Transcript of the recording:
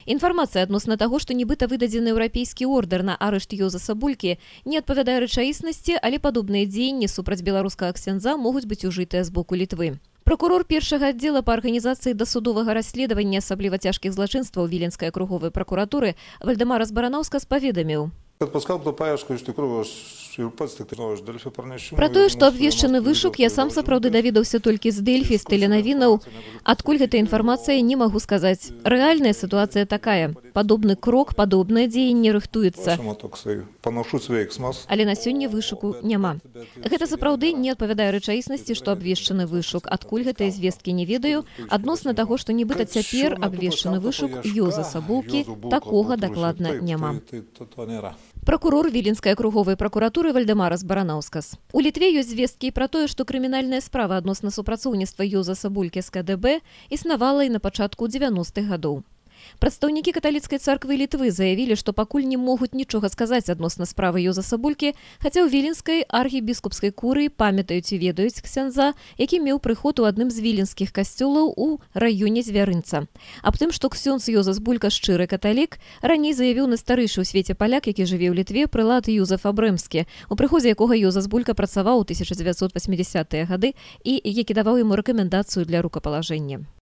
Інфармацыя адносна таго, што нібыта выдадзены еўрапейскі ордэр на арышт Йозаса Булькі, не адпавядае рэчаіснасці, але падобныя дзеянні супраць беларускага ксяндза могуць быць ужытыя з боку Літвы. Прокурор першага аддзела па арганізацыі дасудовага расследавання асабліва цяжкіх злачынстваў Віленскай акруговай пракуратуры Вальдэмар Разбаранаўскас паведаміў. Пра тое, што абвешчаны вышук, я сам сапраўды даведаўся толькі з Дэльфі, з тэленавінаў. Адкуль гэта інфармацыя, не магу сказаць. Рэальная сітуацыя такая. Падобны крок, падобнае дзеянне рыхтуецца. Але на сёння вышуку няма. Гэта сапраўды не адпавядае рэчаіснасці, што абвешчаны вышук. Адкуль гэтыя звесткі не ведаю. Адносна таго, што нібыта цяпер абвешчаны вышук Йозаса Булькі, такога дакладна няма. Прокурор Віленскай акруговай пракуратуры Вальдэмар Разбаранаўскас. У Літве ёсць звесткі пра тое, што крымінальная справа адносна супрацоўніцтва Йозаса Булькі з КДБ існавала і на пачатку 90-х гадоў. Прадстаўнікі каталіцкай царквы Літвы заявілі, што пакуль не могуць нічога сказаць адносна справы Йозаса Булькі, хаця ў Віленскай архібіскупскай курыі памятаюць і ведаюць ксяндза, які меў прыход у адным з віленскіх касцёлаў у раёне Звярынца. Аб тым, што ксёндз Йозас Булька шчыры каталік, раней заявіў найстарыйшы ў свеце паляк, які жыве ў Літве, прылад Юзеф Абрэмскі, у прыходзе якога Йозас Булька працаваў у 1980-е гады і які даваў яму рэкамендацыю для рукапалажэння.